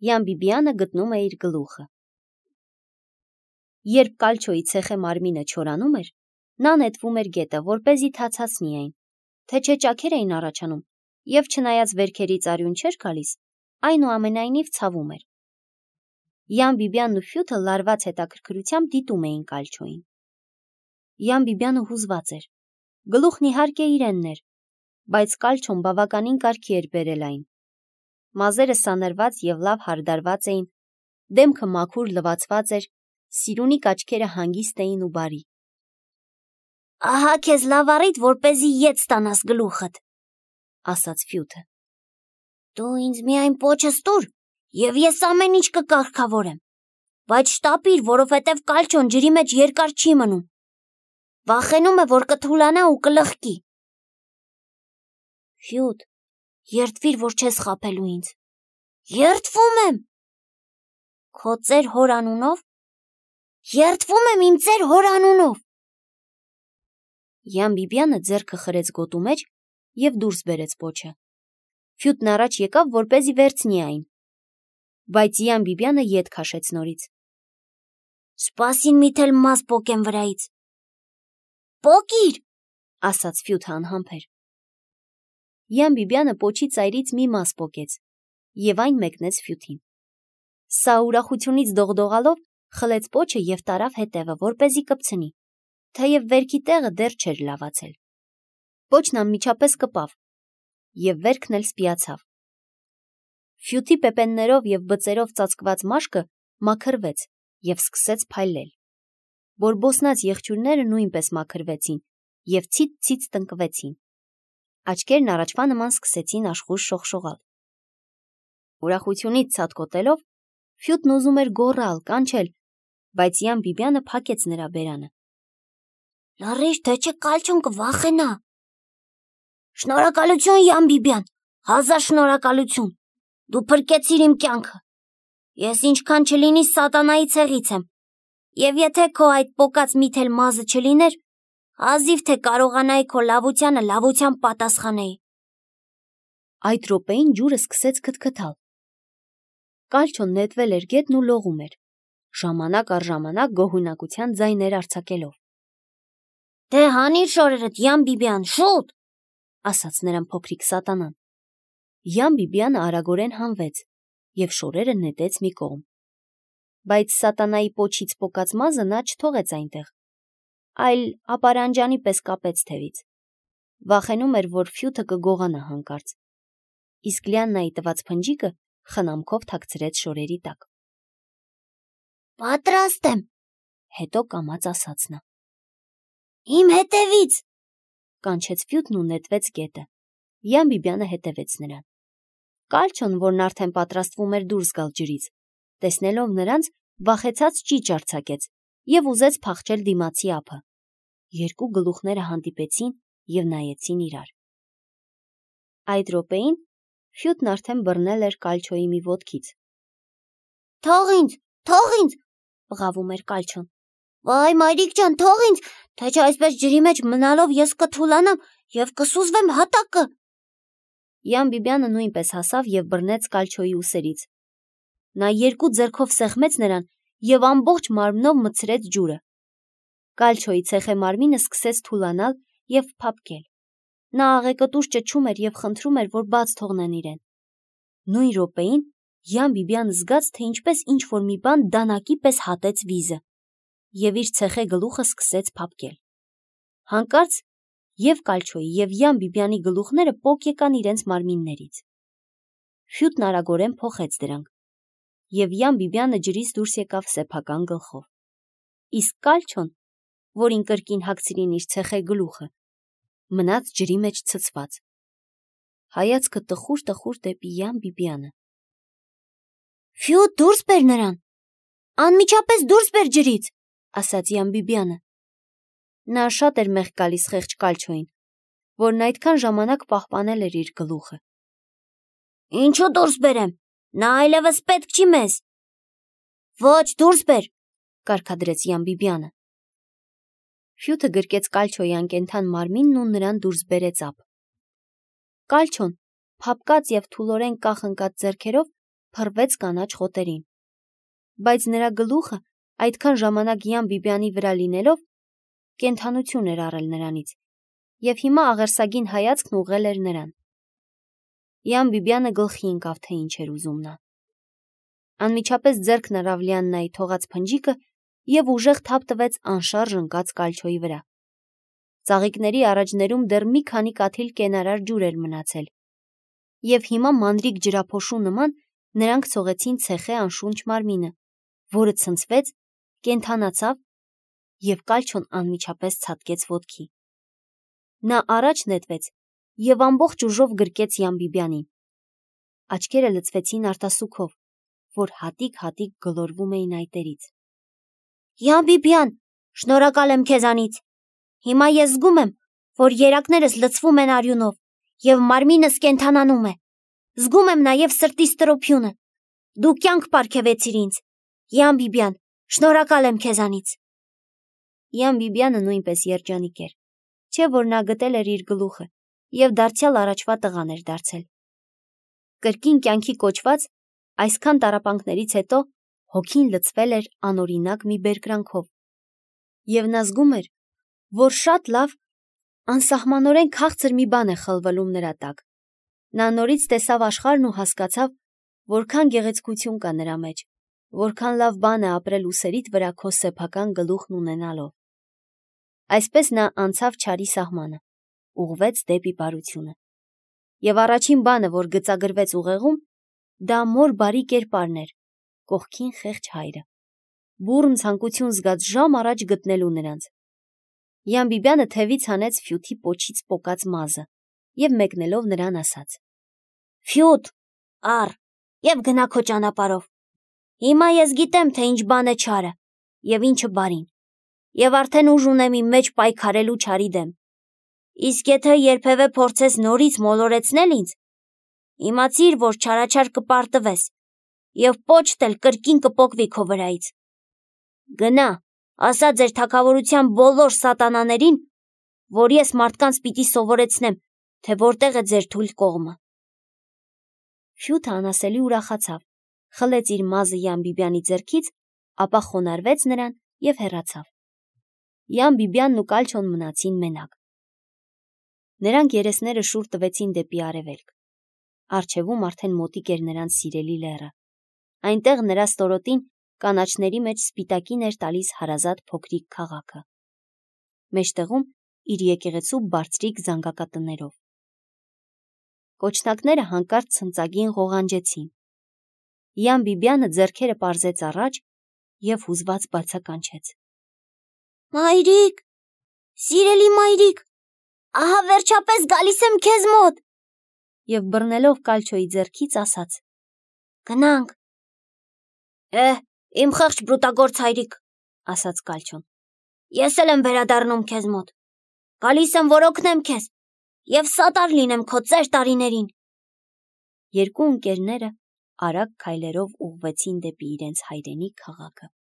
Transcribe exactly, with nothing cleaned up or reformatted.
Յան Բիբիանը գտնում է իր գլուխը։ Երբ Կալչոյի ցեխե մարմինը չորանում էր, նա նետվում էր գետը, որպեսզի թացացնի այն, թե չէ ճաքեր էին առաջանում, եւ չնայած վերքերից արյուն չէր գալիս, այնուամենայնիվ ցավում էր։ Յան Բիբյանն ու Ֆյութը լարված հետաքրքրությամբ դիտում էին Կալչոյին։ Յան Բիբյանը հուզված էր։ Գլուխն իհարկե իրենն էր, բայց Կալչոն բավականին կարգի էր բերել այն։ Մազերը սանրված եւ լավ հարդարված էին, դեմքը մաքուր լվացված էր, սիրունիկ աչքերը հանգիստ էին ու բարի։ Ահա քեզ լավ առիթ, որպեսզի ետ ստանաս գլուխդ, ասաց Ֆյութը։ Դու ինձ միայն պոչս տուր, եւ ես ամեն ինչ կկարգավորեմ, բայց շտապիր, որովհետեւ Կալչոն ջրի մեջ երկար չի մնում։ Վախենում է, որ կթուլանա ու կլխկի։ Ֆյութ, երդվիր, որ չես խաբելու ինձ։ Երդվում եմ։ Քո ծեր հոր անունով։ Երդվում եմ իմ ծեր հոր անունով։ Յան Բիբյանը ձեռքը խրեց գոտու մեջ եւ դուրս բերեց պոչը։ Ֆյութն առաջ եկավ, որպեսզի վերցնի այն, բայց Յան Բիբյանը ետ քաշեց նորից։ Սպասին միթել մազ պոկեմ վրայից։ Պոկիր, ասաց Ֆյութը անհամբեր։ Յան Բիբյանը պոչի ծայրից մի մազ պոկեց եւ այն մեկնեց Ֆյութին։ Սա ուրախությունից դողդողալով խլեց պոչը եւ տարավ հետևը, որպեսզի կպցնի, թեև վերքի տեղը դեռ չէր լավացել։ Պոչն անմիջապես կպավ եւ վերքն էլ սպիացավ։ Ֆյութի պեպեններով եւ բծերով ծածկված մաշկը մաքրվեց եւ սկսեց փայլել։ Բորբոսնած եղջյուրները նույնպես մաքրվեցին եւ ցից-ցից տնկվեցին։ Աչքերն առաջվա նման սկսեցին աշխույժ շողշողալ։ Ուրախությունից ցատկոտելով Ֆյութն ուզում էր գոռալ, կանչել, բայց Յան Բիբյանը փակեց նրա բերանը։ Լռիր, թե չէ Կալչոն կվախենա։ Շնորհակալություն, Յան Բիբյան, հազար շնորհակալություն։ Դու փրկեցիր իմ կյանքը։ Ես ինչքան չլինի սատանայի ցեղից եմ։ Եվ եթե քո այդ պոկած միթել մազը չլիներ, ազիվ թե կարողանայի քո լավությանը լավությամբ պատասխանեի։ Այդ րոպեին ջուրը սկսեց քթքթալ։ Կալչոն նետվել էր գետն ու լողում էր, ժամանակ առ ժամանակ գոհունակության ձայներ արձակելով։ Դե հանիր շորերդ, Յան Բիբյան, շուտ, ասաց նրան փոքրիկ սատանան։ Յան Բիբյանը արագորեն հանվեց եւ շորերը նետեց մի կողմ։ Բայց սատանայի պոչից պոկած մազը նա չթողեց այնտեղ, այլ ապարանջանի պես կապեց թևից։ Վախենում էր, որ Ֆյութը կգողանա հանկարծ։ Իսկ Լիաննայի տված փնջիկը խնամքով թաքցրեց շորերի տակ։ Պատրաստ եմ, հետո կամաց ասաց նա։ Իմ հետևից, կանչեց Ֆյութն ու նետվեց գետը։ Յան Բիբյանը հետևեց նրան։ Կալչոն, որն արդեն պատրաստվում էր դուրս գալ ջրից, տեսնելով նրանց, վախեցած ճիճ արձակեց եւ ուզեց փախչել դիմացի ափը։ Երկու գլուխները հանդիպեցին եւ նայեցին իրար։ Այդ րոպեին Ֆյութն արդեն բռնել էր Կալչոյի մի ոտքից։ Թող ինձ, թող ինձ, բղավում էր Կալչոն։ Վայ, մայրիկ ջան, թող ինձ, թե չէ այսպես ջրի մեջ մնալով ես կթուլանամ եւ կսուզվեմ հատակը։ Յան Բիբյանը նույնպես հասավ եւ բռնեց Կալչոյի ուսերից։ Նա երկու ձեռքով սեղմեց նրան եւ ամբողջ մարմնով մտցրեց ջուրը։ Կալչոյի ցեխե մարմինը սկսեց թուլանալ եւ փափկել։ Նա աղեկտուր ճչում էր եւ խնդրում էր, որ բաց թողնեն իրեն։ Նույն րոպեին Յան Բիբյանը զգաց, թե ինչպես ինչ-որ մի բան դանակի պես հատեց վիզը, եւ իր ցեխե գլուխը սկսեց փափկել։ Հանկարծ եւ Կալչոյի եւ Յան Բիբյանի գլուխները պոկ եկան իրենց մարմիններից։ Ֆյութն արագորեն փոխեց դրանք, եւ Յան Բիբյանը ջրից դուրս եկավ սեփական գլխով։ Իսկ Կալչոն, որին կրկին հագցրին իր ցեխե գլուխը, մնաց ջրի մեջ ցցված։ Հայացքը տխուր-տխուր դեպի Յան Բիբյանը։ Ֆյութ, դուրս բեր նրան։ Անմիջապես դուրս բեր ջրից, ասաց Յան Բիբյանը։ Նա շատ էր մեղք գալիս խեղճ Կալչոյին, որն այդքան ժամանակ պահպանել էր իր գլուխը։ Ինչու դուրս բերեմ։ Նա այլևս պետք չի մեզ։ Ոչ, դուրս բեր, կարգադրեց Յան Բիբյանը։ Ֆյութը գրկեց Կալչոյի անկենդան մարմինն ու նրան դուրս բերեց ափ։ Կալչոն, փափկած եւ թուլորեն կախ ընկած ձեռքերով, փռվեց կանաչ խոտերին։ Բայց նրա գլուխը այդքան ժամանակ Յան Բիբյանի վրա լինելով կենդանություն էր առել նրանից, և հիմա աղերսագին հայացքն ուղղել էր նրան։ Յան Բիբյանը գլխի ընկավ, թե ինչ էր ուզում նա։ Անմիջապես ձեռքն առավ Լիաննայի թողած փնջիկը և ուժեղ թափ տվեց անշարժ ընկած կալչոյի վրա։ Ծաղիկների առաջներում դեռ մի քանի կաթիլ կենարար ջուր էր մնացել, և հիմա մանրիկ ջրափոշու նման նրանք ցողեցին ցեխե անշունչ մարմինը, որը ցնցվեց, կենդանացավ, և կալչոն անմիջապես ցատկեց ոտքի։ Նա առաջ նետվեց և ամբողջ ուժով գրկեց Յան Բիբյանին։ Աչքերը լցվեցին արտասուքով, որ հատիկ-հատիկ գլորվում էին այտերից։ Յան Բիբյան, շնորհակալ եմ քեզանից։ Հիմա ես զգում եմ, որ երակներս լցվում են արյունով, և մարմինս կենդանանում է։ Զգում եմ նաև սրտիս տրոփյունը։ Դու կյանք պարգևեցիր ինձ։ Յան Բիբյան, շնորհակալ եմ քեզանից։ Յան Բիբյանը նույնպես երջանիկ էր, չէ՞ որ նա գտել էր իր գլուխը և դարձյալ առաջվա տղան էր դարձել։ Կրկին կյանքի կոչված այսքան տառապանքներից հետո հոգին լցվել էր անօրինակ մի բերկրանքով, և նա զգում էր, որ շատ լավ, անսահմանորեն քաղցր մի բան է խլվլում նրա տակ։ Նա նորից տեսավ աշխարհն ու հասկացավ, որքան գեղեցկություն կա նրա մեջ, որքան լավ բան է ապրել ուսերիդ վրա քո սեփական գլուխն ունենալով։ Այսպես նա անցավ չարի սահմանը, ուղղվեց դեպի բարությունը։ Եվ առաջին բանը, որ գծագրվեց ուղեղում, դա մոր բարի կերպարն էր, կողքին խեղճ հայրը, բուռն ցանկություն զգաց ժամ առաջ գտնելու նրանց։ Յան Բիբյանը թևից հանեց Ֆյութի պոչից պոկած մազը և մեկնելով նրան ասաց. Ֆյութ, առ, և գնա քո ճանապարհով։ Հիմա ես գիտեմ, թե ինչ բան է չարը և ինչը բարին, և արդեն ուժ ունեմ իմ մեջ պայքարելու չարի դեմ։ Իսկ եթե երբևէ փորձես նորից մոլորեցնել ինձ, իմացիր, որ չարաչար կպարտվես և պոչդ էլ կրկին կպոկվի քո վրայից։ Գնա, ասա ձեր թագավորության բոլոր սատանաներին, որ ես մարդկանց պիտի սովորեցնեմ, թե որտեղ է ձեր թույլ կողմը։ Ֆյութը անասելի ուրախացավ, խլեց իր մազը Յան Բիբյանի ձեռքից, ապա խոնարհվեց նրան և հեռացավ։ Յան Բիբյանն ու կալչոն մնացին մենակ։ Նրանք երեսները շուռ տվեցին դեպի արևելք։ Առջևում արդեն մոտիկ էր նրանց սիրելի լեռը։ Այնտեղ նրա ստորոտին կանաչների մեջ սպիտակին էր տալիս հարազատ փոքրիկ քաղաքը, մեջտեղում իր եկեղեցու բարձրիկ զանգակատներով։ Կոչնակները հանկարծ ցնծագին ղողանջեցին։ Յան Բիբյանը ձեռքերը պարզեց առաջ և հուզված բացականչեց. Մայրիկ, սիրելի մայրիկ, ահա վերջապես գալիս եմ քեզ մոտ։ Եվ բռնելով կալչոյի ձեռքից ասաց. Գնանք։ Էհ, իմ խեղճ բրուտագործ հայրիկ, ասաց կալչոն, ես էլ եմ վերադառնում քեզ մոտ։ Գալիս եմ, որ օգնեմ քեզ և սատար լինեմ քո ծեր տարիներին։ Երկու ընկերները արագ քայլերով ուղղվեցին դեպի իրենց հայրենի քաղաքը։